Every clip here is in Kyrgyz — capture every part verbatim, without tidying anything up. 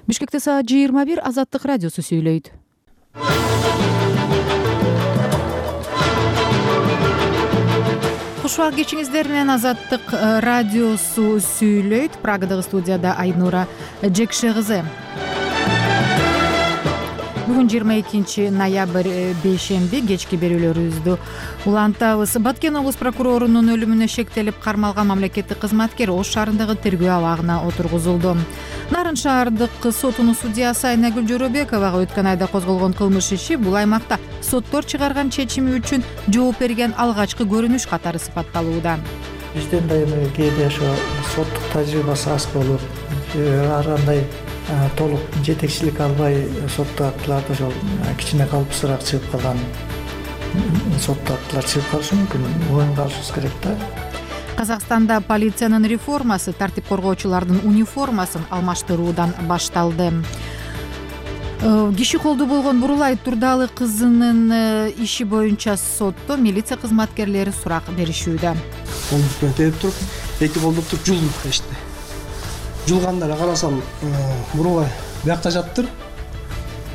Бишкекте саат жыйырма бир. Азаттык радиосу сүйлөйт. Кушубак кечиңиздер менен Азаттык радиосу сүйлөйт. Прагадагы студияда Айнура Жекше кызы. Бүгүн жыйырма экинчи ноябрь бейшемби, кечки берүүлөрүбүздү улантабыз. Баткен облус прокурорунун өлүмүнө шектелип кармалган мамлекеттик кызматкер Ош шаарындагы тергөө абагына отургузулду. Нарын шаардык сотунун судьясы Айнагүл Жоробековага өткөн айда козголгон кылмыш иши бул аймакта соттор чыгарган чечими үчүн жооп берген алгачкы көрүнүш катары сыпатталууда. Бизден да эми кээде ошо соттук тажрыйбасы аз болуп, ар кандай толук жетекчилик албай соттук актыларды ошол кичине калыпсызыраак чыгып калган соттук актылар чыгып калышы мүмкүн. Моюнга алышыбыз керек да. Казакстанда полициянын реформасы тартип коргоочулардын униформасын алмаштыруудан башталды. Киши колдуу болгон Бурулай Турдалы кызынын иши боюнча сотто милиция кызматкерлери сурак беришүүдө. Колдук менен терип туруп, эки колдук туруп жулдум эшти. Жулганда эле карасам, Бурулай биякта жаптыр.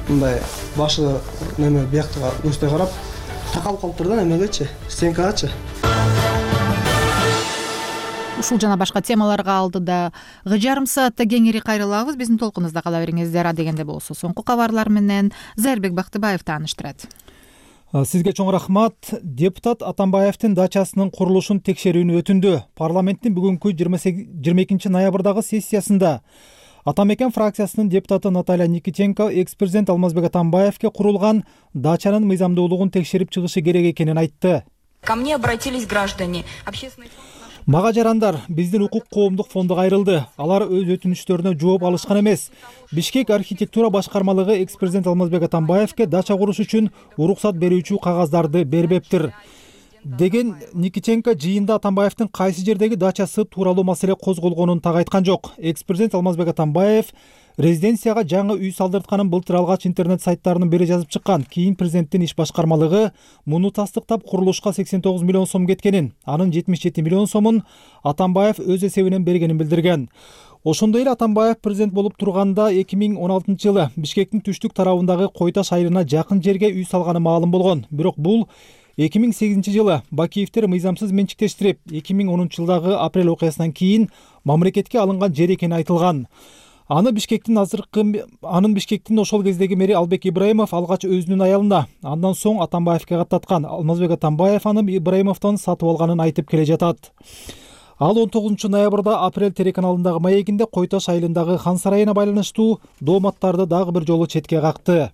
Мындай башы неме бияктага көздөй карап, такалып калыптыр да немегечи, стенкагачы. Ушул жана башка темаларга алдыда жарым саатта кеңири кайрылабыз. Биздин толкунубузда кала бериңиздер. Адегенде болсо соңку кабарлар менен Зайырбек Бактыбаев тааныштырат. Сизге чоң рахмат. Депутат Атамбаевдин дачасынын курулушун текшерүүнү өтүндү. Парламенттин бүгүнкү жыйырма экинчи ноябрдагы сессиясында Атамекен фракциясынын депутаты Наталья Никитенко экс-президент Алмазбек Атамбаевге курулган дачанын мыйзамдуулугун текшерип чыгышы керек экенин айтты. Ко мне обратились граждане. Общественный Мага жарандар, биздин укук коомдук фонду кайрылды. Алар өз өтүнүчтөрүнө жооп алышкан эмес. Бишкек архитектура башкармалыгы экс-президент Алмазбек Атамбаевге дача куруш үчүн уруксат берүүчү кагаздарды бербептир деген Никитенко жыйында Атамбаевдин кайсы жердеги дачасы тууралуу маселе козголгонун так айткан жок. Экс-президент Алмазбек Атамбаев резиденцияга жаңы үй салдыртканын былтыр алгач интернет сайттарынын бири жазып чыккан. Кийин президенттин иш башкармалыгы муну тастыктап курулушка сексен тогуз миллион сом кеткенин, анын жетимиш жети миллион сомун Атамбаев өз эсебинен бергенин билдирген. Ошондой эле Атамбаев президент болуп турганда эки миң он алтынчы жылы Бишкектин түштүк тарабындагы Койташ айылына жакын жерге үй салганы маалым болгон. Бирок бул эки миң сегизинчи жылы Бакиевдер мыйзамсыз менчиктештирип, эки миң онунчу жылдагы апрель окуясынан кийин мамлекетке алынган жер экени айтылган. Аны Бишкектин азыркы анын Бишкектин ошол кездеги мэри Албек Ибраимов алгач өзүнүн аялына, андан соң Атамбаевге каттаткан. Алмазбек Атамбаев аны Ибраимовдон сатып алганын айтып келе жатат. Ал он тогузунчу ноябрда Апрель телеканалындагы маегинде Койташ айылындагы хан сарайына байланыштуу дооматтарды дагы бир жолу четке какты.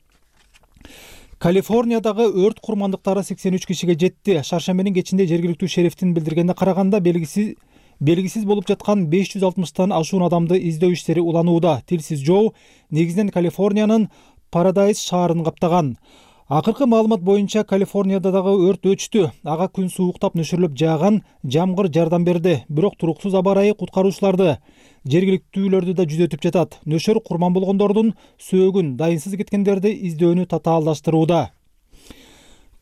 Калифорниядагы өрт курмандыктары сексен үч кишиге жетти. Шаршембинин кечинде жергиликтүү шерифтин билдиргенине караганда белгисиз белгисиз болуп жаткан беш жүз алтымыштан ашуун адамды издөө иштери уланууда. Тилсиз жоо негизинен Калифорниянын Парадайз шаарын каптаган. Акыркы маалымат боюнча Калифорнияда дагы өрт өчтү. Ага күн сууктап нөшөрлөп жааган жамгыр жардам берди. Бирок туруксуз аба ырайы куткаруучуларды, жергиликтүүлөрдү да жүзөтүп жатат. Нөшөр курман болгондордун сөөгүн, дайынсыз кеткендерди издөөнү татаалдаштырууда.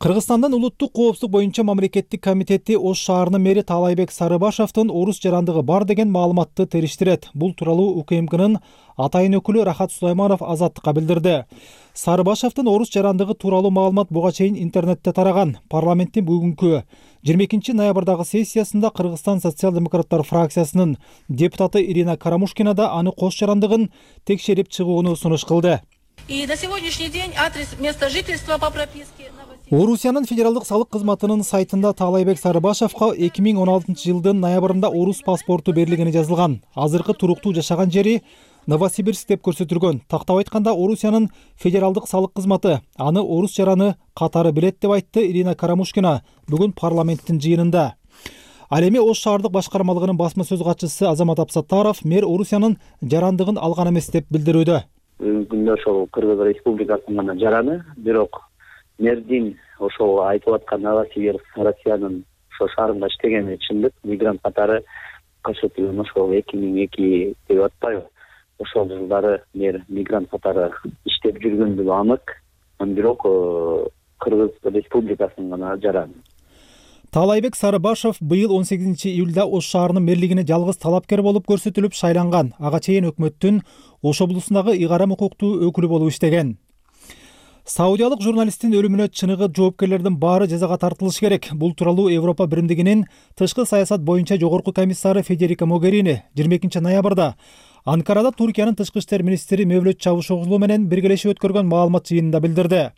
Кыргызстандын улуттук коопсуздук боюнча мамлекеттик комитети Ош шаарынын мэри Таалайбек Сарыбашевдин орус жарандыгы бар деген маалыматты териштирет. Бул тууралуу УКМКнын атайын өкүлү Рахат Сулайманов Азаттыкка билдирди. Сарыбашевдин орус жарандыгы тууралуу маалымат буга чейин интернетте тараган. Парламенттин бүгүнкү жыйырма экинчи ноябрдагы сессиясында Кыргызстан социал-демократтар фракциясынын депутаты Ирина Карамушкина да аны кош жарандыгын текшерип чыгууну сунуш кылды. И на сегодняшний день адрес места жительства по прописке. Орусиянын федералдык салык кызматынын сайтында Таалайбек Сарыбашевга эки миң он алтынчы жылдын ноябрында орус паспорту берилгени жазылган. Азыркы туруктуу жашаган жери Новосибирск деп көрсөтүлгөн. Тактап айтканда Орусиянын федералдык салык кызматы аны орус жараны катары билет деп айтты Ирина Карамушкина бүгүн парламенттин жыйынында. Ал эми Ош шаардык башкармалыгынын басма сөз катчысы Азамат Абсаттаров мэр Орусиянын жарандыгын алган эмес деп билдирүүдө. Бүгүнкү күндө ошол Кыргыз Республикасынын гана жараны, бирок мэрдин ошол айтып аткан Новосибирск Россиянын ошол шаарында иштегени чындык. Мигрант катары көрсөтүлгөн ошол эки миң эки деп атпайбы? Ошол жылдары мэр мигрант катары иштеп жүргөндүгү анык. Бирок Кыргыз Республикасынын гана жараны. Таалайбек Сарыбашев быйыл он сегизинчи июлда Ош шаарынын мэрлигине жалгыз талапкер болуп көрсөтүлүп шайланган. Ага чейин өкмөттүн Ош облусундагы ыйгарым укуктуу өкүлү болуп иштеген. Саудиялык журналисттин өлүмүнө чыныгы жоопкерлердин баары жазага тартылышы керек. Бул тууралуу Европа биримдигинин тышкы саясат боюнча жогорку комиссары Федерика Могерини жыйырма экинчи ноябрда Анкарада Туркиянын тышкы иштер министри Мевлют Чавушоглу менен биргелешип өткөргөн маалымат жыйынында билдирди.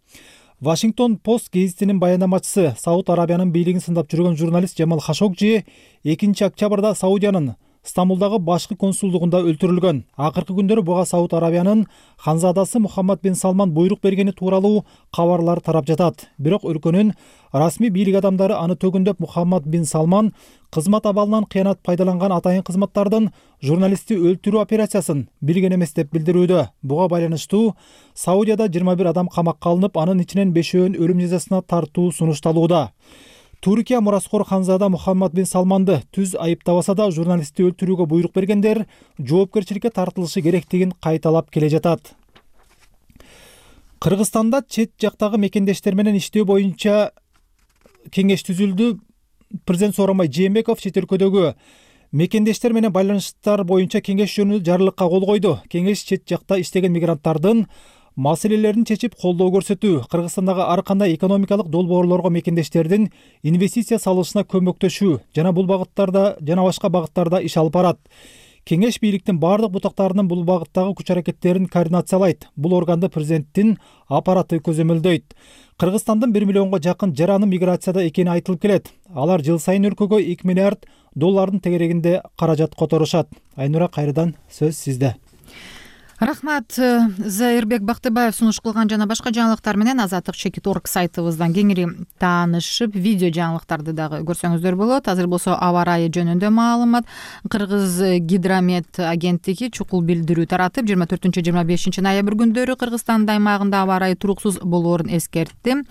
Вашингтон Пост гезитинин баяндамачысы Сауд Арабиянын бийлигин сындап жүргөн журналист Жамал Хашогжи экинчи октябрда Саудиянын Стамбулдагы башкы консулдугунда өлтүрүлгөн. Акыркы күндөрү буга Сауд Арабиянын ханзадасы Мухаммад бин Салман буйрук бергени тууралуу кабарлар тарап жатат. Бирок өлкөнүн расмий бийлик адамдары аны төгүндөп Мухаммад бин Салман кызмат абалынан кыянат пайдаланган атайын кызматтардын журналистти өлтүрүү операциясын билген эмес деп билдирүүдө. Буга байланыштуу Саудияда жыйырма бир адам камакка алынып, анын ичинен бешөөүн өлүм жазасына тартуу сунушталууда. Туркия мураскор ханзада Мухаммад бин Салманды түз айыптабаса да журналистти өлтүрүүгө буйрук бергендер жоопкерчиликке тартылышы керектигин кайталап келе жатат. Кыргызстанда чет жактагы мекендештер менен иштөө боюнча кеңеш түзүлдү. Президент Сооронбай Жээнбеков чет өлкөдөгү мекендештер менен байланыштар боюнча кеңеш жөнүндө жарлыкка кол койду. Кеңеш чет жакта иштеген мигранттардын маселелерин чечип колдоо көрсөтүү, Кыргызстандагы ар кандай экономикалык долбоорлорго мекендештердин инвестиция салышына көмөктөшүү жана бул багыттарда жана башка багыттарда иш алып барат. Кеңеш бийликтин бардык бутактарынын бул багыттагы күч-аракеттерин координациялайт. Бул органды президенттин аппараты көзөмөлдөйт. Кыргызстандын бир миллионго жакын жараны миграцияда экени айтылып келет. Алар жыл сайын өлкөгө эки миллиард доллардын тегерегинде каражат которушат. Айнура, кайрадан сөз сизде. Рахмат. Зайырбек Бактыбаев сунуш кылган жана башка жаңылыктар менен азаттык чекит орг сайтыбыздан кеңири таанышып, видео жаңылыктарды дагы көрсөңүздөр болот. Азыр болсо аба ырайы жөнүндө маалымат. Кыргыз гидромет агенттиги чукул билдирүү таратып, жыйырма төртүнчү жыйырма бешинчи ноябрь күндөрү Кыргызстандын аймагында аба ырайы туруксуз болоорун эскертти.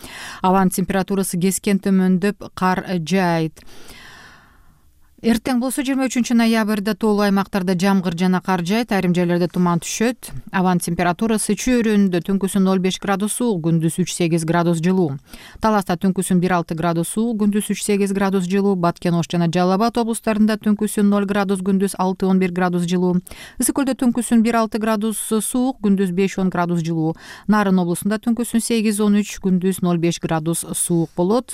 Абанын температурасы кескен төмөндөп, кар жаайт. Эртең болсо жыйырма үчүнчү ноябрда тоолуу аймактарда жамгыр жана кар жаайт, айрым жерлерде туман түшөт. Абанын температурасы чөйрөндө түнкүсүн ноль беш градус суук, күндүз үч сегиз градус жылуу. Таласта түнкүсүн бир алты градус суук, күндүз үч сегиз градус жылуу. Баткен, Ош жана Жалал Абад облустарында түнкүсүн ноль градус, күндүз алты он бир градус жылуу. Ысык көлдө түнкүсүн бир алты градус суук, күндүз беш он градус жылуу. Нарын облусунда түнкүсүн сегиз он үч, күндүз ноль беш градус суук болот.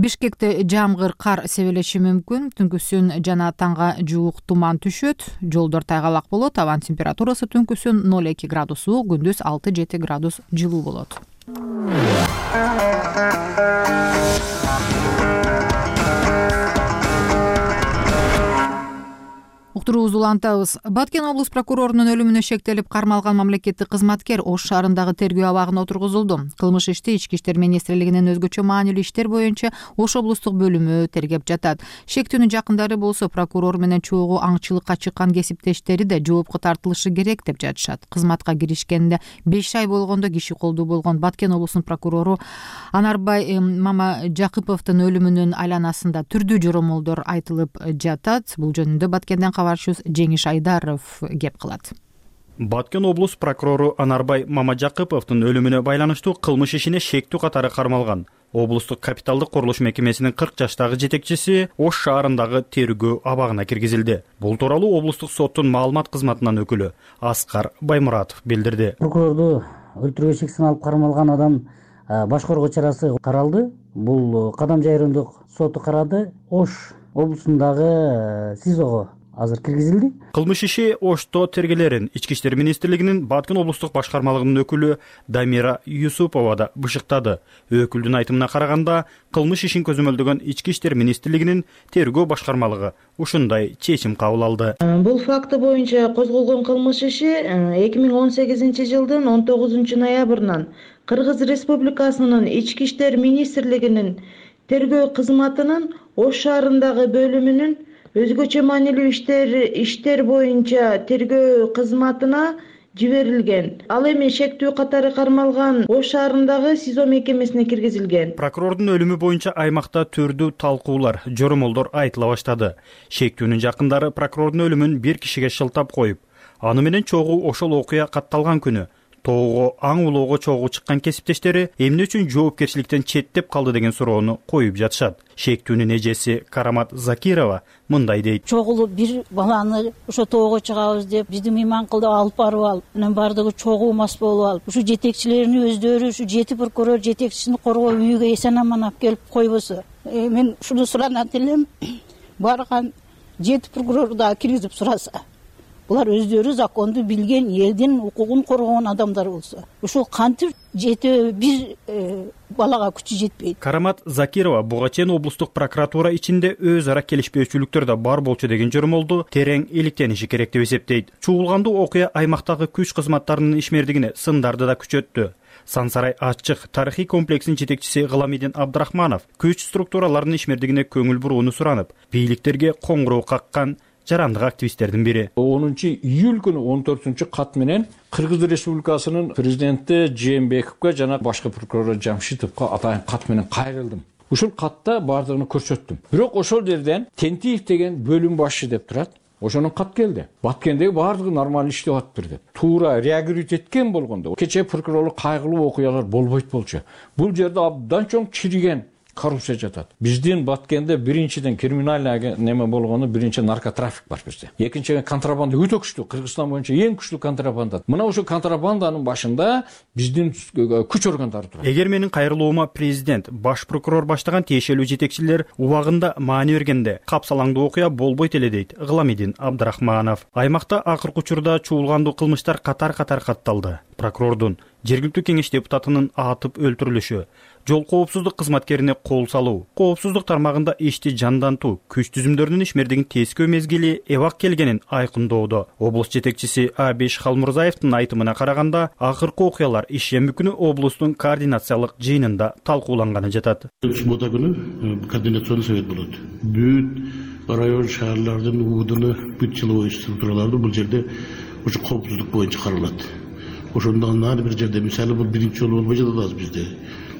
Бишкекте жамгыр, кар себелеши мүмкүн. Түнкүсүн жана таңга жуук туман түшөт. Жолдор тайгалак болот. Абанын температурасы түнкүсүн ноль эки градус суук, күндүз алты жети градус жылуу болот. Уктуруубузду улантабыз. Баткен облус прокурорунун өлүмүнө шектелип кармалган мамлекеттик кызматкер Ош шаарындагы тергөө абагына отургузулду. Кылмыш ишти Ички иштер министрлигинин өзгөчө маанилүү иштер боюнча Ош облустук бөлүмү тергеп жатат. Шектүүнүн жакындары болсо прокурор менен чогуу аңчылыкка чыккан кесиптештери да жоопко тартылышы керек деп жатышат. Кызматка киришкенде беш ай болгондо киши колдуу болгон Баткен облусунун прокурору Анарбай Мамажакыповдун өлүмүнүн айланасында түрдүү жоромолдор айтылып жатат. Бул жөнүндө Баткенден кабарчыбыз Жеңиш Айдаров кеп кылат. Баткен облус прокурору Анарбай Мамажакыповдун өлүмүнө байланыштуу кылмыш ишине шектүү катары кармалган. Облустук капиталдык курулуш мекемесинин кырк жаштагы жетекчиси Ош шаарындагы тергөө абагына киргизилди. Бул тууралуу облустук соттун маалымат кызматынын өкүлү Аскар Баймуратов билдирди. Прокурорду өлтүрүүгө шек саналып кармалган адам баш коргоо чарасы каралды. Бул Кадам жайрымдык соту карады. Ош облусундагы СИЗОго азыр киргизилди. Кылмыш иши Ошто тергелерин Ички иштер министрлигинин Баткен облустук башкармалыгынын өкүлү Дамира Юсупова да бышыктады. Өкүлдүн айтымына караганда, кылмыш ишин көзөмөлдөгөн Ички иштер министрлигинин тергөө башкармалыгы ушундай чечим кабыл алды. Бул факты боюнча козголгон кылмыш иши эки миң он сегизинчи жылдын он тогузунчу ноябрынан Кыргыз Республикасынын Ички иштер министрлигинин тергөө кызматынын Ош шаарындагы бөлүмүнүн өзгөчө маанилүү иштер иштер боюнча тергөө кызматына жиберилген. Ал эми шектүү катары кармалган Ош шаарындагы СИЗО мекемесине киргизилген. Прокурордун өлүмү боюнча аймакта түрдүү талкуулар, жоромолдор айтыла баштады. Шектүүнүн жакындары прокурордун өлүмүн бир кишиге шылтап коюп, аны менен чогуу ошол окуя катталган күнү тоого аң улоого чогуу чыккан кесиптештери эмне үчүн жоопкерчиликтен четтеп калды деген суроону коюп жатышат. Шектүүнүн эжеси Карамат Закирова мындай дейт. Чогулуп бир баланы ошо тоого чыгабыз деп биздин Мыйманкулда алып барып алып, анан бардыгы чогуу мас болуп алып, ушу жетекчилерин өздөрү ушу жети прокурор жетекчисин коргоо үйүгө эсен аман алып келип койбосо. Мен ушуну суранат элем. Барган жети прокурор да киргизип сураса, булар өздөрү законду билген, элдин укугун коргогон адамдар болсо, ушул кантип жети бир балага күчү жетпейт. Карамат Закирова буга чейин облустук прокуратура ичинде өз ара келишпөөчүлүктөр да бар болчу деген жормолду терең иликтениши керек деп эсептейт. Чуулгандуу окуя аймактагы күч кызматтарынын ишмердигине сындарды да күчөттү. Сансарай ачык тарыхый комплексинин жетекчиси Гыламидин Абдрахманов күч структураларынын ишмердигине көңүл бурууну суранып, бийликтерге коңгуроо каккан жарандык активисттердин бири. онунчу июль күнү он төртүнчү кат менен Кыргыз Республикасынын президенти Жээнбековго жана башкы прокурор Жамшитовго атайын кат менен кайрылдым. Ушул катта бардыгын көрсөттүм. Бирок ошол жерден Тентиев деген бөлүм башчы деп турат. Ошонун кат келди. Баткендеги бардыгы нормаль иштеп атыптыр деп. Туура реагировать эткен болгондо кечээ прокурорлук кайгылуу окуялар болбойт болчу. Бул жерде абдан чоң чириген коррупция жатат. Биздин Баткенде биринчиден криминальный неме болгону биринчи наркотрафик бар бизде. Экинчиден контрабанда өтө күчтүү. Кыргызстан боюнча эң күчтүү контрабанда. Мына ошо контрабанданын башында биздин күч органдары турат. Эгер менин кайрылуума президент, баш прокурор баштаган тиешелүү жетекчилер убагында маани бергенде капсалаңдуу окуя болбойт эле дейт Гыламидин Абдрахманов. Аймакта акыркы учурда чуулгандуу кылмыштар катар-катар катталды. Прокурордун, жергиликтүү кеңеш депутатынын атып өлтүрүлүшү, жол коопсуздук кызматкерине кол салуу, коопсуздук тармагында ишти жандантуу, күч түзүмдөрүнүн ишмердигин тескөө мезгили эбак келгенин айкындоодо. Облус жетекчиси Абиш Халмурзаевдин айтымына караганда, акыркы окуялар иш шемби күнү облустун координациялык жыйынында талкууланганы жатат. Суббота күнү координационный совет болот. Бүт район шаарлардын уудуну, бүт силовой структураларды бул жерде ушу коопсуздук боюнча каралат. Ошондон ар бир жерде мисалы бул биринчи жолу болбой жатат бизде.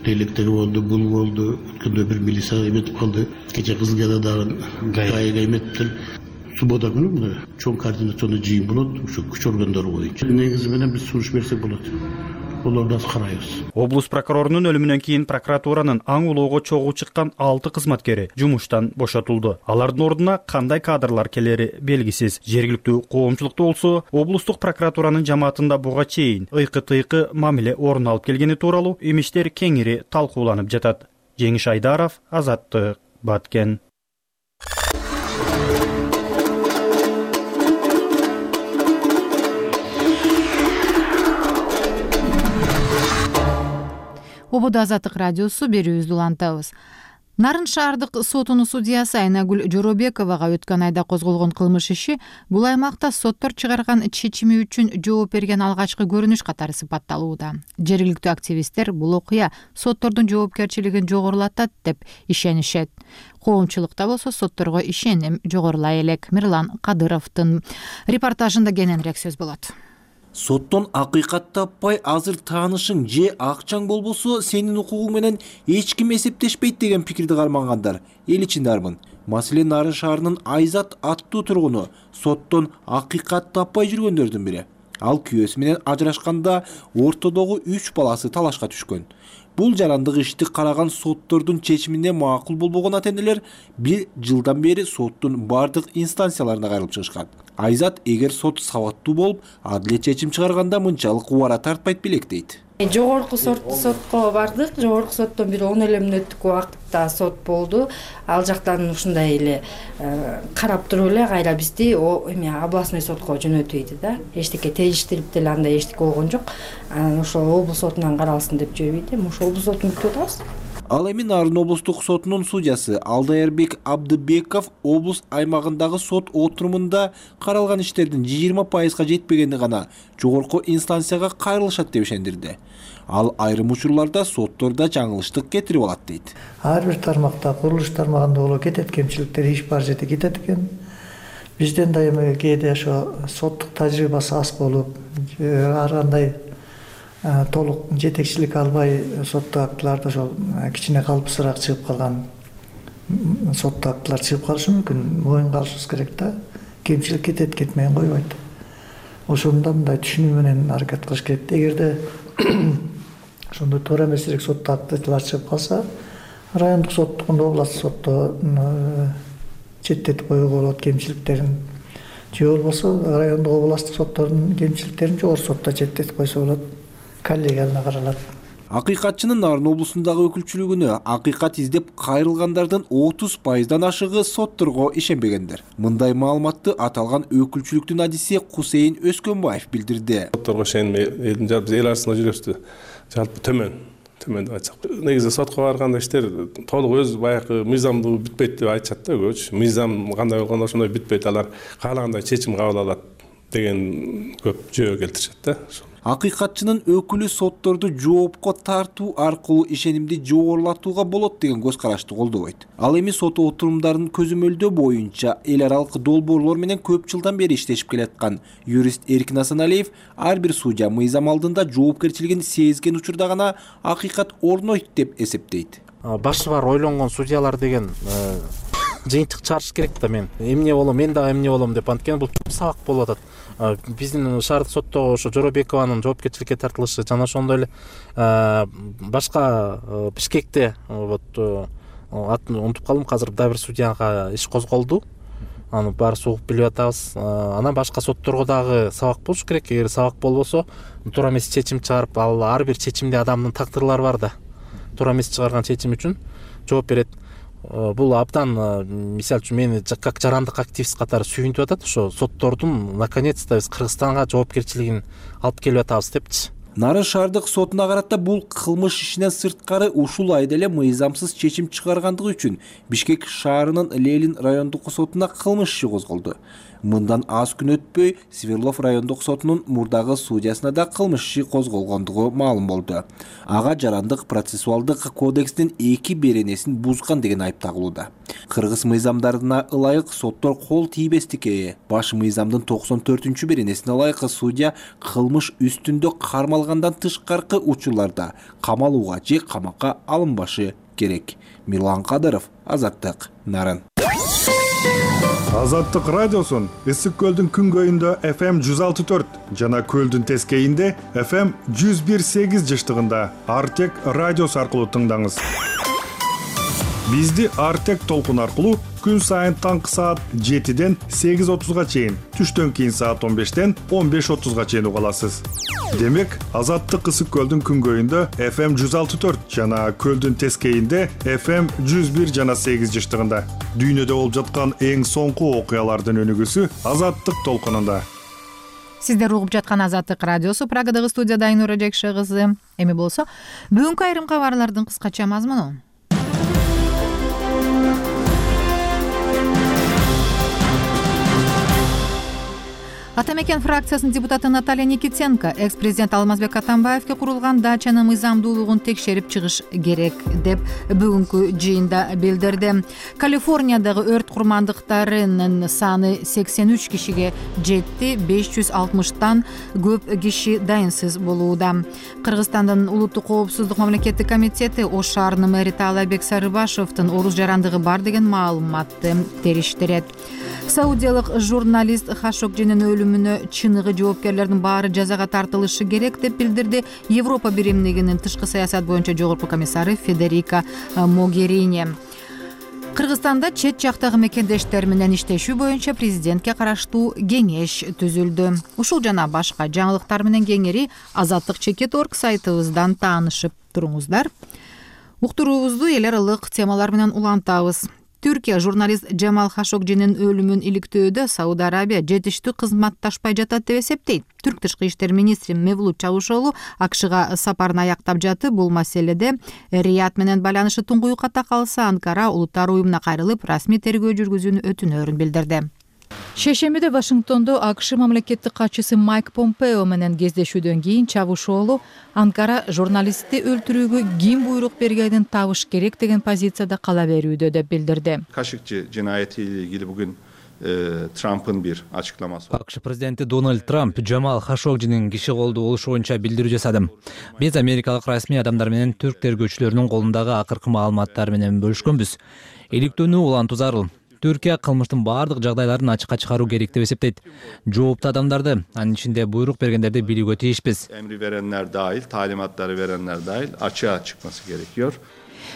Тейлектеги болду, бул болду, өткөндө бир милиция эметип калды. Кече Кызылгада дагы гайга эметиптир. Суббота күнү мына чоң координационный жыйын болот, ушу күч органдары боюнча. Негизи менен биз сунуш берсек болот. Олорду карайбыз. Облус прокурорунун өлүмүнөн кийин прокуратуранын аң улоого чогуу чыккан алты кызматкери жумуштан бошотулду. Алардын ордуна кандай кадрлар келери белгисиз. Жергиликтүү коомчулукта болсо, облустук прокуратуранын жамаатында буга чейин ыйкы-тыйкы мамиле орун алып келгени тууралуу имиштер кеңири талкууланып жатат. Жеңиш Айдаров, Азаттык, Баткен. Ободо Азаттык радиосу берүүбүздү улантабыз. Нарын шаардык сотунун судьясы Айнагүл Жоробековага өткөн айда козголгон кылмыш иши бул аймакта соттор чыгарган чечими үчүн жооп берген алгачкы көрүнүш катары сыпатталууда. Жергиликтүү активисттер бул окуя соттордун жоопкерчилигин жогорулатат деп ишенишет. Коомчулукта болсо сотторго ишеним жогорулай элек. Мирлан Кадыровдун репортажында кененирээк сөз болот. Соттон акыйкат таппай азыр таанышың же акчаң болбосо сенин укугуң менен эч ким эсептешпейт деген пикирди кармангандар эл ичинде арбын. Маселен, Нарын шаарынын Айзат аттуу тургуну соттон акыйкат таппай жүргөндөрдүн бири. Ал күйөөсү менен ажырашканда ортодогу үч баласы талашка түшкөн. Бул жарандык ишти караган соттордун чечимине макул болбогон ата-энелер бир жылдан бери соттун бардык инстанцияларына кайрылып чыгышкан. Айзат эгер сот сабаттуу болуп, адилет чечим чыгарганда мынчалык убара тартпайт белек дейт. Жогорку сотко бардык. Жогорку соттон бир он эле мүнөттүк убакытта сот болду. Ал жактан ушундай эле карап туруп эле кайра бизди эме областной сотко жөнөтүйдү да. Эчтеке териштирип деле андай эчтеке болгон жок. Анан ошол облус сотунан каралсын деп жиберди. Ошол облус сотун күтүп атабыз. Ал эми Нарын облустук сотунун судьясы Алдаербек Абдыбеков облус аймагындагы сот отурумунда каралган иштердин жыйырма пайызга жетпегени гана жогорку инстанцияга кайрылышат деп ишендирди. Ал айрым учурларда соттордо жаңылыштык кетирип алат дейт. Ар бир тармакта, курулуш тармагында боло кетет кемчиликтер иш бар жерде кетет экен. Бизден да эми кээде ошо соттук тажрыйбасы аз болуп, ар кандай толук жетекчилик албай соттук актыларда ошол кичине калыпсыраак чыгып калган соттук актылар чыгып калышы мүмкүн. Моюнга алышыбыз керек да. Кемчилик кетет, кетмейин койбойт. ошондо мындай түшүнүү менен аракет кылыш керек. Эгерде ошондой туура эмесирээк сотто актылар чыгып калса, райондук соттукунда областтык сотто четтетип коюуга болот кемчиликтерин. Же болбосо райондук областтык соттордун кемчиликтерин жогорку сотто четтетип койсо болот. Коллегиялына каралат. Акыйкатчынын Нарын облусундагы өкүлчүлүгүнө акыйкат издеп кайрылгандардын отуз пайыздан ашыгы сотторго ишенбегендер. Мындай маалыматты аталган өкүлчүлүктүн адиси Кусейин Өскөнбаев билдирди. Сотторго ишенбей элдин жалпы эл арасында жүрөбүз жалпы төмөн. Төмөн деп айтсак. Негизи сотко барганда иштер толук өз баягы мыйзамдуу бүтпөйт деп айтышат да көбүчө. Мыйзам кандай болгондо ошондой бүтпөйт, алар каалагандай чечим кабыл алат деген көп жөө келтиришет да. Акыйкатчынын өкүлү сотторду жоопко тартуу аркылуу ишенимди жогорулатууга болот деген көз карашты колдобойт. Ал эми сот отурумдарынын көзөмөлдөө боюнча эл аралык долбоорлор менен көп жылдан бери иштешип келаткан юрист Эркин Асаналиев ар бир судья мыйзам алдында жоопкерчилигин сезген учурда гана акыйкат орнойт деп эсептейт. Башы бар ойлонгон судьялар деген жыйынтык чыгарыш керек да. Мен эмне болом, мен дагы эмне болом деп анткени бул чоң сабак болуп атат. Биздин шаардык соттогу ошо Жоробекованын жоопкерчиликке тартылышы жана ошондой эле башка Бишкекте вот атын унутуп калдым азыр, дагы бир судьяга иш козголду. Аны баарыбыз угуп билип атабыз. Анан башка сотторго дагы сабак болуш керек. Эгер сабак болбосо, туура эмес чечим чыгарып, ал ар бир чечимде адамдын тагдырлары бар да. Туура эмес чыгарган чечим үчүн жооп берет. Бул абдан, мисалы үчүн, мени как жарандык активист катары сүйүнтүп атат. Ошо соттордун наконец-то биз Кыргызстанга жоопкерчилигин алып келип атабыз депчи. Нарын шаардык сотуна карата бул кылмыш ишинен сырткары ушул айда эле мыйзамсыз чечим чыгаргандыгы үчүн Бишкек шаарынын Ленин райондук сотуна кылмыш иши козголду. Мындан аз күн өтпөй Свердлов райондук сотунун мурдагы судьясына да кылмыш иши козголгондугу маалым болду. Ага жарандык процессуалдык кодекстин эки беренесин бузган деген айып тагылууда. Кыргыз мыйзамдарына ылайык соттор кол тийбестикке баш мыйзамдын токсон төртүнчү беренесине ылайык судья кылмыш үстүндө кармалгандан тышкаркы учурларда камалууга же камакка алынбашы керек. Мирлан Кадыров, Азаттык, Нарын. Азаттык радиосун Ысык көлдүн күнгөйүндө эф эм жүз алты төрт жана көлдүн тескейинде эф эм жүз бир сегиз жыштыгында Артек радиосу аркылуу тыңдаңыз. Бизди Артек толкун аркылуу күн сайын таңкы саат жетиден сегиз отузга чейин, түштөн кийин саат он бештен он беш отузга чейин уга аласыз. Демек, Азаттык Ысык көлдүн күнгөйүндө эф эм жүз алты төрт жана көлдүн тескейинде эф эм жүз бир жана сегиз жыштыгында. Дүйнөдө болуп жаткан эң соңку окуялардын өнүгүүсү Азаттык толкунунда. Сиздер угуп жаткан Азаттык радиосу, Прагадагы студияда Айнура Жекше кызы. Эми болсо, бүгүнкү айрым кабарлардын кыскача мазмуну. Атамекен фракциясынын депутаты Наталья Никитенко экс-президент Алмазбек Атамбаевке курулган дачанын мыйзамдуулугун текшерип чыгыш керек деп бүгүнкү жыйында билдирди. Калифорниядагы өрт курмандыктарынын саны сексен үч кишиге жетти, беш жүз алтымыштан көп киши дайынсыз болууда. Кыргызстандын улуттук коопсуздук мамлекеттик комитети Ош шаарынын мэри Таалайбек Сарыбашевдин оруз жарандыгы бар деген маалыматты териштирет. Саудиялык журналист Хашокжинин өлүмүнө чыныгы жоопкерлердин баары жазага тартылышы керек деп билдирди Европа биримдигинин тышкы саясат боюнча жогорку комиссары Федерика Могерини. Кыргызстанда чет жактагы мекендештер менен иштешүү боюнча президентке караштуу кеңеш түзүлдү. Ушул жана башка жаңылыктар менен кеңири Азаттык чекит точка орг сайтыбыздан таанышып туруңуздар. Уктуруубузду эл аралык темалар менен улантабыз. Түркия журналист Джамал Хашокжинин өлүмүн иликтөөдө Сауд Арабия жетиштүү кызматташпай жатат деп эсептейт. Түрк тышкы иштер министри Мевлут Чавушоглу АКШга сапарын аяктап жатып, бул маселеде Рият менен байланышы туңгуюкка калса, Анкара улуттар уюмуна кайрылып, расмий тергөө жүргүзүүнү өтүнөрүн билдирди. Шейшембиде Вашингтондо АКШ мамлекеттик катчысы Майк Помпео менен кездешүүдөн кийин Чавушоглу Анкара журналистти өлтүрүүгө ким буйрук бергенин табыш керек деген позицияда кала берүүдө деп билдирди. Кашыкчы жинаяти илгили бүгүн Трамптын бир ачыкламасы. АКШ президенти Дональд Трамп Джамал Хашогжинин киши колдуу болушу боюнча билдирүү жасады. Биз америкалык расмий адамдар менен түрк тергөөчүлөрүнүн колундагы акыркы маалыматтар менен бөлүшкөнбүз. Иликтөөнү улантуу зарыл. Түркия кылмыштын бардык жагдайларын ачыкка чыгаруу керек деп эсептейт. Жооптуу адамдарды, анын ичинде буйрук бергендерди билүүгө тийишпиз. Emri verenler dahil, talimatları verenler dahil açığa çıkması gerekiyor.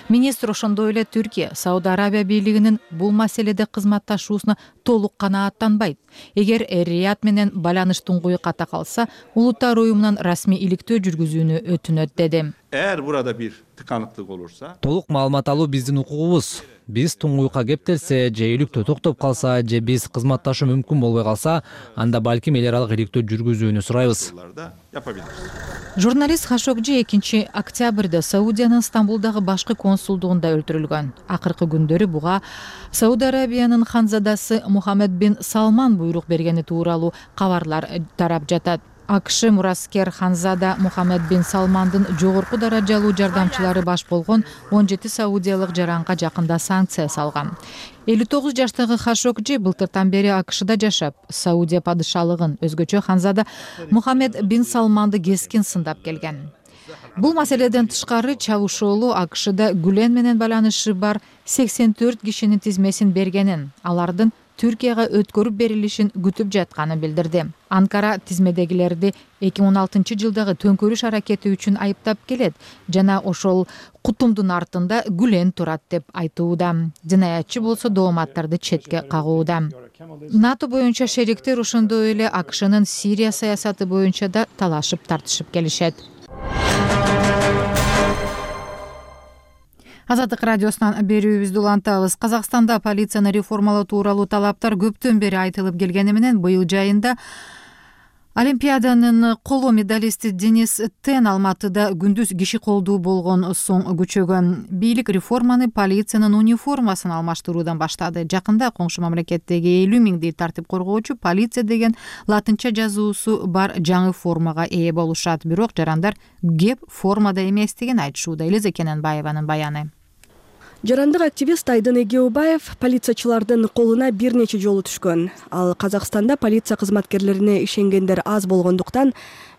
Министр ошондой эле Түркия Сауд Арабия бийлигинин бул маселеде кызматташуусуна толук канааттанбайт. Эгер Рият менен байланыш туңгуй ката калса, улуттар уюмунан расмий иликтөө жүргүзүүнү өтүнөт деди. Eğer burada bir tıkanıklık olursa, толук маалымат алуу биздин укугубуз. Биз туңгуйка кептелсе, же иликтөө токтоп калса, же биз кызматташуу мүмкүн болбой калса, анда балким эл аралык иликтөө жүргүзүүнү сурайбыз. Журналист Хашогжи экинчи октябрда Саудиянын Стамбулдагы башкы консулдугунда өлтүрүлгөн. Акыркы күндөрү буга Сауд Арабиянын ханзадасы Мухаммед бин Салман буйрук бергени тууралуу кабарлар тарап жатат. АКШ мураскер ханзада Мухаммед бин Салмандын жогорку даражалуу жардамчылары баш болгон он жети саудиялык жаранга жакында санкция салган. элүү тогуз жаштагы Хашогжи былтыртан бери АКШда жашап, Саудия падышалыгын, өзгөчө ханзада Мухаммед бин Салманды кескин сындап келген. Бул маселеден тышкары Чавушоолу АКШда Гүлен менен байланышы бар сексен төрт кишинин тизмесин бергенин, алардын Түркияга өткөрүп берилишин күтүп жатканын билдирди. Анкара тизмедегилерди эки миң он алтынчы жылдагы төңкөрүш аракети үчүн айыптап келет жана ошол кутумдун артында Гүлен турат деп айтууда. Жинаятчы болсо дооматтарды четке кагууда. НАТО боюнча шериктер ошондой эле АКШнын Сирия саясаты боюнча да талашып тартышып келишет. Азаттык радиосунан берүүбүздү улантабыз. Казакстанда полицияны реформалоо тууралуу талаптар көптөн бери айтылып келгени менен быйыл жайында Олимпиаданын коло медалисти Денис Тен Алматыда күндүз киши колдуу болгон соң күчөгөн. Бийлик реформаны полициянын униформасын алмаштыруудан баштады. Жакында коңшу мамлекеттеги элүү миңдей тартип коргоочу полиция деген латынча жазуусу бар жаңы формага ээ болушат. Бирок жарандар кеп формада эместигин айтышууда. Элиза Кененбаеванын баяны. Жарандык активист Айдын Эгеубаев полициячылардын колуна бир нече жолу түшкөн. Ал Казакстанда полиция кызматкерлерине ишенгендер аз болгондуктан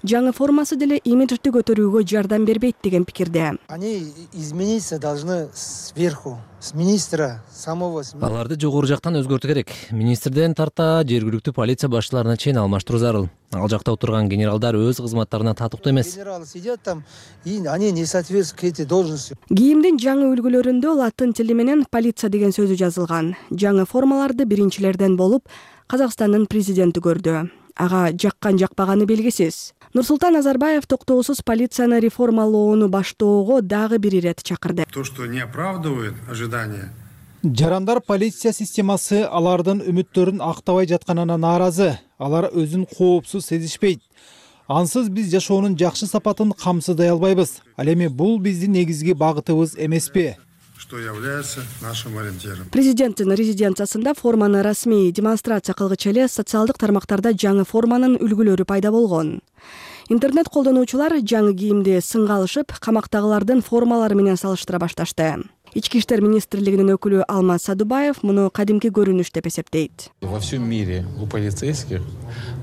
жаңы формасы деле имиджди көтөрүүгө жардам бербейт деген пикирде. Они измениться должны сверху, с министра самого. Аларды жогору жактан өзгөртүү керек. Министрден тарта жергиликтүү полиция башчыларына чейин алмаштыруу зарыл. Ал жакта отурган генералдар өз кызматтарына татыктуу эмес. Генералы сидят там, и они не соответствуют этой должности. Кийимдин жаңы үлгүлөрүндө латын тили менен полиция деген сөзү жазылган. Жаңы формаларды биринчилерден болуп Казакстандын президенти көрдү. Ага жаккан жакпаганы белгисиз. Нурсултан Назарбаев токтоосуз полицияны реформалоону баштоого дагы бир ирет чакырды. То, что не оправдывает ожидания. Жарандар полиция системасы алардын үмүттөрүн актабай жатканына нааразы. Алар өзүн коопсуз сезишпейт. Ансыз биз жашоонун жакшы сапатын камсыздай албайбыз. Ал эми бул биздин негизги багытыбыз эмеспи? Что является нашим ориентиром. Президенттин резиденциясында форманы расмий демонстрация кылгычы эле социалдык тармактарда жаңы форманын үлгүлөрү пайда болгон. Интернет колдонуучулар жаңы кийимди сынга алышып, камактагылардын формалары менен салыштыра башташты. Ички иштер министрлигинин өкүлү Алмаз Садубаев муну кадимки көрүнүш деп эсептейт. Во всем мире у полицейских,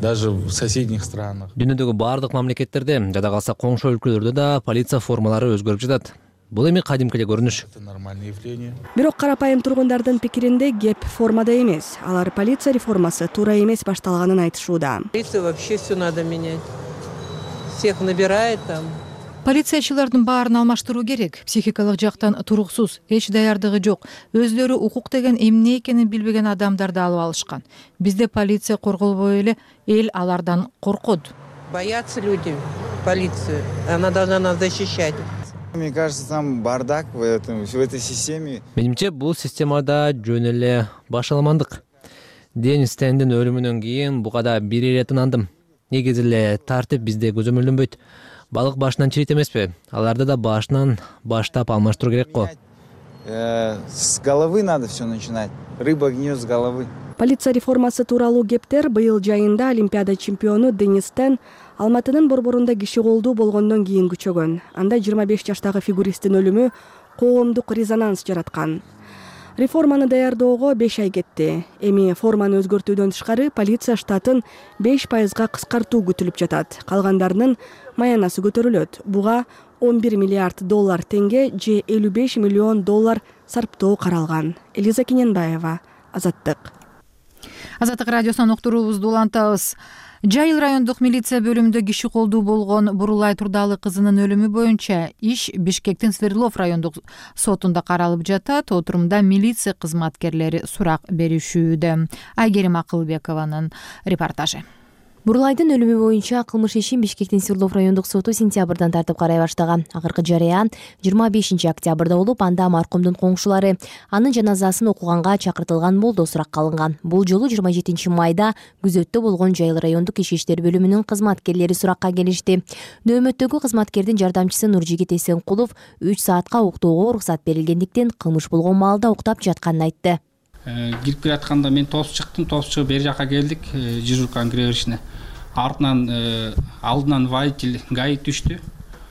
даже в соседних странах. Дүйнөдөгү бардык мамлекеттерде, жада калса коңшу өлкөлөрдө да полиция формалары өзгөрүп жатат. Бул эми кадимки эле көрүнүш. Бирок карапайым тургундардын пикиринде кеп формада эмес. Алар полиция реформасы туура эмес башталганын айтышууда. Полиция вообще все надо менять. Всех набирает там. Полициячылардын баарын алмаштыруу керек. Психикалык жактан туруксуз, эч даярдыгы жок. Өздөрү укук деген эмне экенин билбеген адамдарды алып алышкан. Бизде полиция корголбой эле эл алардан коркот. Боятся люди полицию. Она должна нас защищать. Мне кажется, там бардак в этом, в этой системе. Менимче, бул системада жөн эле башаламандык. Денис Тендин өлүмүнөн кийин буга да бир ирет ынандым. Негизи эле тартип бизде көзөмөлдөнбөйт. Балык башынан чирейт эмеспи? Аларды да башынан баштап алмаштыруу керек го. С головы надо все начинать. Рыба гниет с головы. Полиция реформасы тууралуу кептер быйыл жайында Олимпиада чемпиону Денис Тен Алматынын борборунда киши колдуу болгондон кийин күчөгөн. Анда жыйырма беш жаштагы фигуристтин өлүмү коомдук резонанс жараткан. Реформаны даярдоого беш ай кетти. Эми форманы өзгөртүүдөн тышкары полиция штатын беш пайызга кыскартуу күтүлүп жатат. Калгандарынын маянасы көтөрүлөт. Буга он бир миллиард доллар теңге же элүү беш миллион доллар сарптоо каралган. Элиза Кененбаева, Азаттык Азаттык радиосунан уктуруубузду улантабыз. Жайыл райондук милиция бөлүмүндө киши колдуу болгон Бурулай Турдалы кызынын өлүмү боюнча иш Бишкектин Свердлов райондук сотунда каралып жатат. Отурумда милиция кызматкерлери сурак беришүүдө. Айгерим Акылбекованын репортажы. Бурулайдын өлүмү боюнча кылмыш ишин Бишкектин Свердлов райондук соту сентябрдан тартып карай баштаган. Акыркы жарыян жыйырма бешинчи октябрда болуп, анда маркумдун коңшулары анын жаназасын окуганга чакыртылган болду суракка алынган. Бул жолу жыйырма жетинчи майда күзөттө болгон Жайыл райондук ички иштер бөлүмүнүн кызматкерлери суракка келишти. Нөөмөттөгү кызматкердин жардамчысы Нуржигит Эсенкулов үч саатка уктоого уруксат берилгендиктен кылмыш болгон маалда уктап жатканын айтты. Кирип келатканда мен тосуп чыктым, тосуп чыгып бери жака келдик, дежурканын кире беришине. Артынан алдынан водитель ГАИ түштү.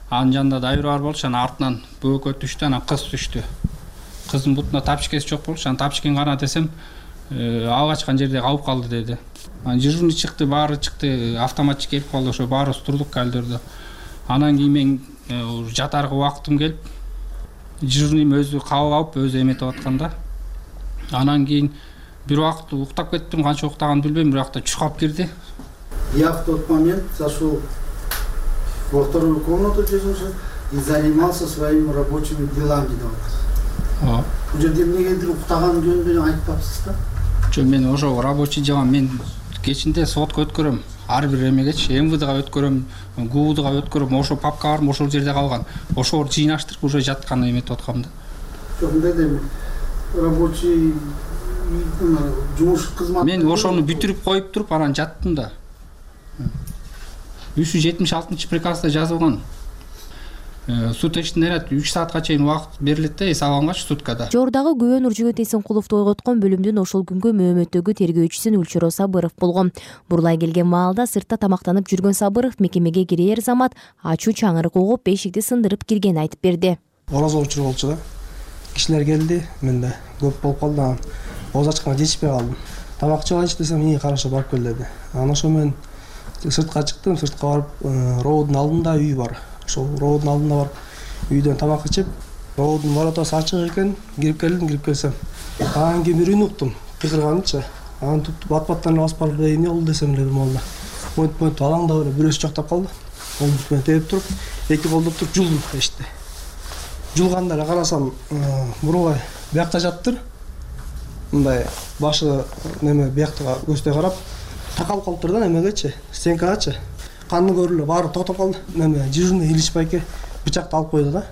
Анын жанында дайыр бар болчу, анан артынан бөөкө түштү, анан кыз түштү. Кыздын бутуна тапчикеси жок болчу, анан тапчикени кана десем, ага качкан жерде калып калды деди. Анан дежурный чыкты, баары чыкты, автоматчы келип калды, ошо баарыбыз турдук калдырды. Анан кийин мен жатарга убактым келип, дежурныйм өзү кабыл алып, өзү эметип атканда. Анан кийин бир убакыт уктап кеттим, канча уктаганын билбейм, бирок та чукап кирди. Я в тот момент зашел во вторую комнату дежурства и занимался своими рабочими делами. Бул жерде эмнегедир уктаган жөнүндө айтпапсыз да? Жок, мен ошо рабочий жагам, мен кечинде сотко өткөрөм. Ар бир эмегечи МВДга өткөрөм, ГУБДга өткөрөм, ошо папкаларым ошол жерде калган. Ошол жыйнаштырып уже жаткан эметип аткам да. Жок, мындай рабочий жумуш кызмат. Мен ошону бүтүрүп коюп туруп анан жаттым да. үч жүз жетимиш алтынчы приказда жазылган. Суд ишинде үч саатка чейин убакыт берилет да, эс алгангачы суткада. Жордагы күбө Нуржигит Эсенкуловду ойготкон бөлүмдүн ошол күнгө мөөнөттөгү тергөөчүсү Үлчүрө Сабыров болгон. Бурулай келген маалда сыртта тамактанып жүргөн Сабыров мекемеге кирер замат ачуу чаңырык угуп эшикти сындырып киргенин айтып берди. Ороз учур болчу да. Кишилер келди, менде көп болуп калды. Оз ачканга жетишпей калдым. Тамак чыгайынчы десем, "И, караша барып кел" деди. Анан ошо мен сыртка чыктым, сыртка барып, роудун алдында үй бар. Ошол роудун алдында барып, үйдөн тамак ичип, роудун воротасы ачык экен, кирип келдим, кирип келсем. Анан кийин бир үн уктум, кыйкырганычы. Анан туп бат-баттан басып барып, "Эмне болду" десем эле молда. Монт-монт алаңда эле бирөөсү жактап калды. Колду менен терип туруп, эки колдоп туруп жулдум эшикти. Жулганда эле карасам, Бурулай биякта жаптыр. Мындай башы неме бияктага көздөй карап, такалып калыптыр да немегечи, стенкагачы. Каны көрүлүп, баары токтоп калды. Неме дежурный Илич байке бычакты алып койду да.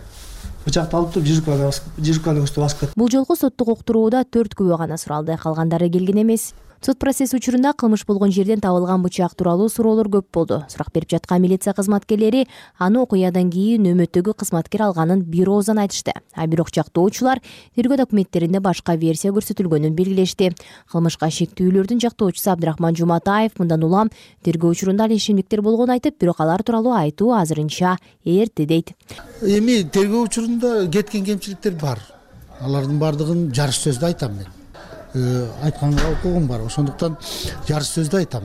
Бычакты алып туруп жирканы басып, жирканы көздөй басып кетти. Бул жолку соттук уктурууда төрт күбө гана суралды, калгандары келген эмес. Сот процесс учурунда кылмыш болгон жерден табылган бычак тууралуу суроолор көп болду. Сурак берип жаткан милиция кызматкерлери аны окуядан кийин нөөмөттөгү кызматкер алганын бир ооздан айтышты. А бирок жактоочулар тергөө документтеринде башка версия көрсөтүлгөнүн белгилешти. Кылмышка шектүүлөрдүн жактоочусу Абдрахман Жуматаев мындан улам тергөө учурунда ал ишемдиктер болгонун айтып, бирок алар тууралуу айтуу азырынча эрте дейт. Эми тергөө учурунда кеткен кемчиликтер бар. Алардын баардыгын жарыш сөздө айтам мен. Айтканга укугум бар, ошондуктан жарыш сөздө айтам.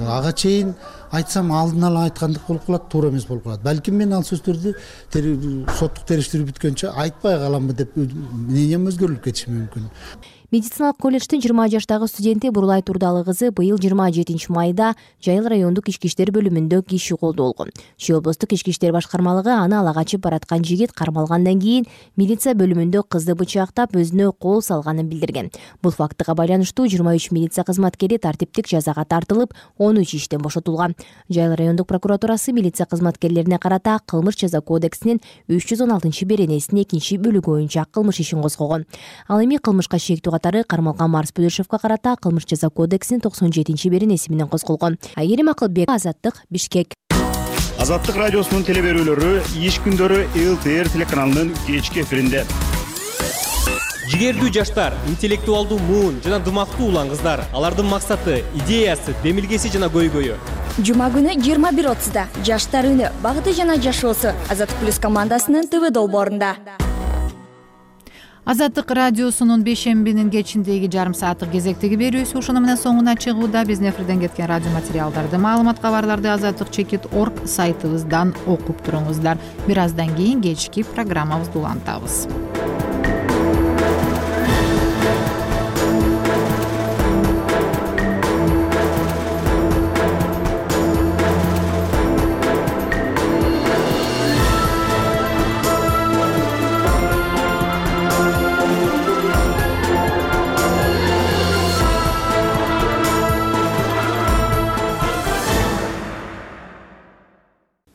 Ага чейин айтсам алдын ала айткандык болуп калат, туура эмес болуп калат. Балким мен ал сөздөрдү соттук териштирүү бүткөнчө айтпай каламбы деп мнением өзгөрүлүп кетиши мүмкүн. Медициналык колледждин жыйырма жаштагы студенти Бурулай Турдалы кызы быйыл жыйырма жетинчи майда Жайыл райондук ички иштер бөлүмүндө киши колдуу болгон. Чүй облустук ички иштер башкармалыгы аны ала качып бараткан жигит кармалгандан кийин милиция бөлүмүндө кызды бычактап өзүнө кол салганын билдирген. Бул фактыга байланыштуу жыйырма үч милиция кызматкери тартиптик жазага тартылып, он үч иштен бошотулган. Жайыл райондук прокуратурасы милиция кызматкерлерине карата кылмыш жаза кодексинин үч жүз он алтынчы беренесинин экинчи бөлүгү боюнча кылмыш ишин козгогон. Ал эми кылмышка шектүү катары кармалган Марс Бөдөшевго карата кылмыш жаза кодексинин токсон жетинчи беренеси менен козголгон. Айгерим Акылбек, Азаттык, Бишкек. Азаттык радиосунун телеберүүлөрү иш күндөрү эл тэ эр телеканалынын кечки эфиринде. Жигердүү жаштар, интеллектуалдуу муун жана дымактуу улан кыздар. Алардын максаты, идеясы, демилгеси жана көйгөйү. Жума күнү жыйырма бир отузда жаштар үнү, багыты жана жашоосу Азаттык плюс командасынын ТВ долбоорунда. Азаттык радиосунун бейшембинин кечиндеги жарым сааттык кезектеги берүүсү ушуну менен соңуна чыгууда. Биздин эфирден кеткен радио материалдарды, маалымат кабарларды азаттык чекит точка орг сайтыбыздан окуп туруңуздар. Бир аздан кийин кечки программабызды улантабыз.